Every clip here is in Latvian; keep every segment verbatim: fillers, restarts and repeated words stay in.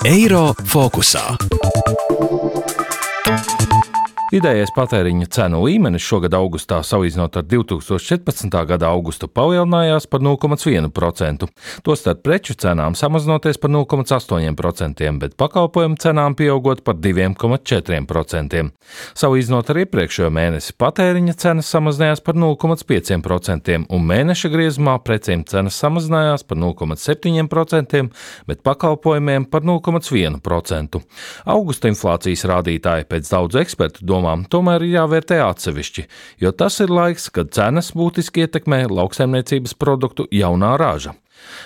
Eiro fokusā. Vidējais patēriņa cenu līmenis šogad augustā salīdzinot ar divi tūkstoši četrpadsmitā gada augustu palielinājās par nulle komats vienu procentu. Tostarp preču cenām samazinoties par nulle komats astoņi procenti, bet pakalpojumu cenām pieaugot par divi komats četri procenti. Salīdzinot ar iepriekšējo mēnesi patēriņa cenas samazinājās par nulle komats pieci procenti un mēneša griezumā precēm cenas samazinājās par nulle komats septiņi procenti, bet pakalpojumiem par nulle komats vienu procentu. Augusta inflācijas rādītāji pēc daudzu ekspertu domām tomēr ir jāvērtē atsevišķi, jo tas ir laiks, kad cenas būtiski ietekmē lauksaimniecības produktu jaunā raža.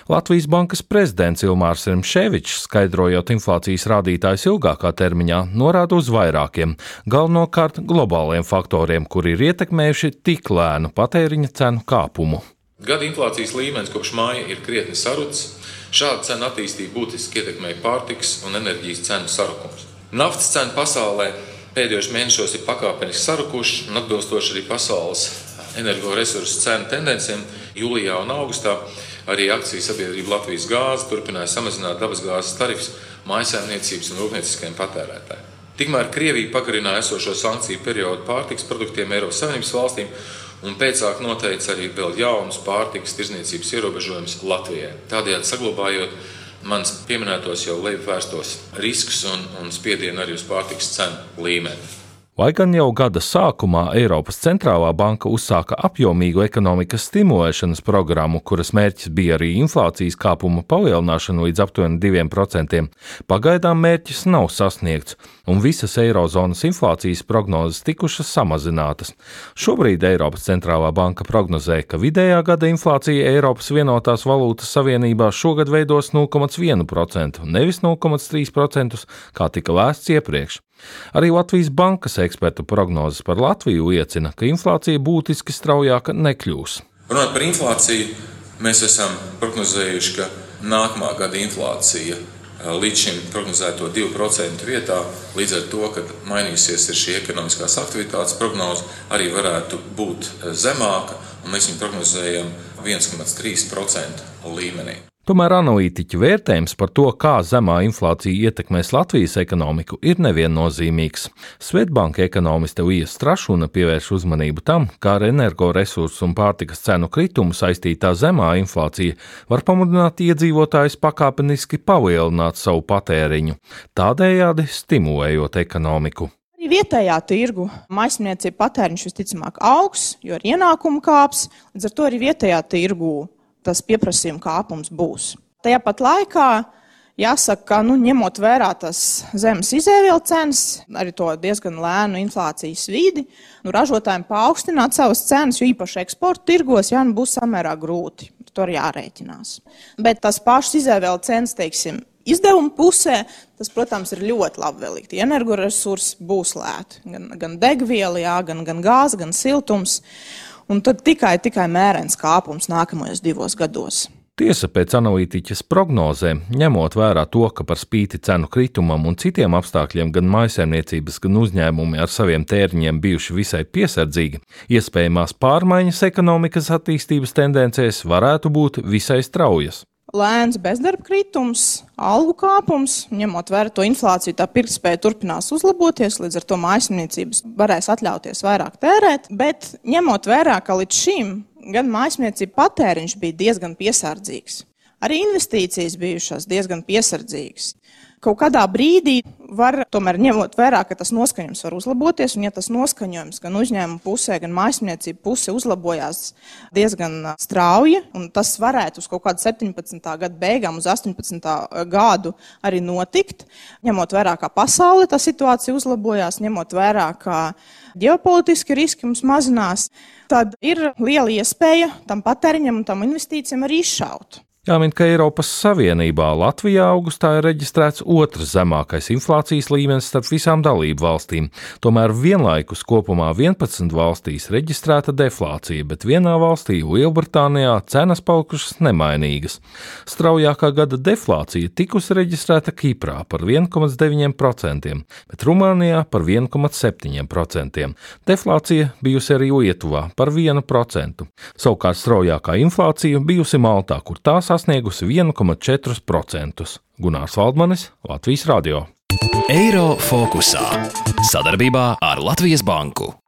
Latvijas Bankas prezidents Ilmārs Rimšēvičs, skaidrojot inflācijas rādītājus ilgākā termiņā, norāda uz vairākiem, galvenokārt globāliem faktoriem, kuri ir ietekmējuši tik lēnu patēriņa cenu kāpumu. Gada inflācijas līmenis kopš māja ir krietni sarucis. Šāda cena attīstība būtiski ietekmēja pārtikas un enerģijas cenu sarukums. Naftas cena pasaulē pēdējos mēnešos ir pakāpeniski sarukuši un atbilstoši arī pasaules energoresursu cenu tendencēm jūlijā un augustā arī akciju sabiedrība Latvijas gāze turpināja samazināt dabasgāzes tarifus mājsaimniecības un rūpnieciskajiem patērētājiem. Tikmēr Krievija pagarināja esošo sankciju periodu pārtikas produktiem Eiropas Savienības valstīm un pēcāk noteica arī vēl jaunus pārtikas tirdzniecības ierobežojumus Latvijai. Tādējādi saglabājot mans pieminētos jau lejupvērstos riskus un, un spiedienu arī uz pārtikas cenu līmeni. Lai gan jau gada sākumā Eiropas centrālā banka uzsāka apjomīgu ekonomikas stimulēšanas programmu, kuras mērķis bija arī inflācijas kāpuma palielināšana līdz aptuveni diviem procentiem, pagaidām mērķis nav sasniegts, un visas eirozonas inflācijas prognozes tikušas samazinātas. Šobrīd Eiropas centrālā banka prognozē, ka vidējā gada inflācija Eiropas vienotās valūtas savienībā šogad veidos nulle komats vienu procentu, nevis nulle komats trīs procentus, kā tika lēsts iepriekš. Arī Latvijas Bankas ekspertu prognozes par Latviju liecina, ka inflācija būtiski straujāka nekļūs. Runājot par inflāciju, mēs esam prognozējuši, ka nākamā gada inflācija līdz šim prognozēto divu procentu vietā, līdz ar to, kad mainīsies ir šī ekonomiskās aktivitātes prognoze, arī varētu būt zemāka, un mēs viņu prognozējam viens komats trīs procentu līmenī. Tomēr analītiķu vērtējums par to, kā zemā inflācija ietekmēs Latvijas ekonomiku, ir neviennozīmīgs. Svetbanka ekonomiste Līja Strašuna pievērš uzmanību tam, kā ar energoresursu un pārtikas cenu kritumu saistītā zemā inflācija var pamudināt iedzīvotājus pakāpeniski palielināt savu patēriņu, tādējādi stimulējot ekonomiku. Vietējā tirgu mājsaimniecību patēriņš visticamāk augs, jo ar ienākumu kāps, līdz ar to arī vietējā tirgu tas pieprasījuma kāpums būs. Tajā pat laikā jāsaka, ka nu, ņemot vērā tas zemes izēvielu cenas, arī to diezgan lēnu inflācijas vidi, nu, ražotājiem paaugstināt savas cenas, jo īpaši eksporta tirgos jā, nu, būs samērā grūti. Tur jārēķinās. Bet tas pašas izēvielu cenas, teiksim, izdevuma pusē, tas, protams, ir ļoti labvēlīgi. Energoresursi būs lēti, gan, gan degviela, jā, gan, gan gāze, gan siltums. Un tad tikai, tikai mērens kāpums nākamajos divos gados. Tiesa pēc analītiķas prognozēm, ņemot vērā to, ka par spīti cenu kritumam un citiem apstākļiem gan mājsaimniecības, gan uzņēmumi ar saviem tēriņiem bijuši visai piesardzīgi, iespējamās pārmaiņas ekonomikas attīstības tendencēs varētu būt visai straujas. Lēns bezdarba kritums, algu kāpums, ņemot vērā to inflāciju, tā pirktspēja turpinās uzlaboties, līdz ar to mājsaimniecības varēs atļauties vairāk tērēt, bet ņemot vērā, ka līdz šim gan mājsaimniecība patēriņš bija diezgan piesardzīgs, arī investīcijas bijušās diezgan piesardzīgas. Kaut kādā brīdī var, tomēr ņemot vērā, ka tas noskaņojums var uzlaboties, un ja tas noskaņojums gan uzņēmuma pusē, gan mājsaimniecība pusē uzlabojās diezgan strauji, un tas varētu uz kaut kādu septiņpadsmitā gada beigām, uz astoņpadsmitā gadu arī notikt, ņemot vērā, kā pasaulē tā situācija uzlabojās, ņemot vērā, kā ģeopolitiski riski mums mazinās, tad ir liela iespēja tam patēriņam un tam investīcijam arī izšaut. Jāmin, ka Eiropas Savienībā Latvijā augustā ir reģistrēts otrs zemākais inflācijas līmenis starp visām dalību valstīm. Tomēr vienlaikus kopumā vienpadsmit valstīs reģistrēta deflācija, bet vienā valstī, Lielbritānijā, cenas palikušas nemainīgas. Straujākā gada deflācija tikusi reģistrēta Kiprā par viens komats deviņi procenti, bet Rumānijā par viens komats septiņi procenti. Deflācija bijusi arī Lietuvā par vienu procentu. Savukārt straujākā inflācija bijusi Maltā, kur tās sasniegusi viens komats četri procenti. Gunārs Valdmanis, Latvijas radio. Eiro fokusā. Sadarbībā ar Latvijas banku.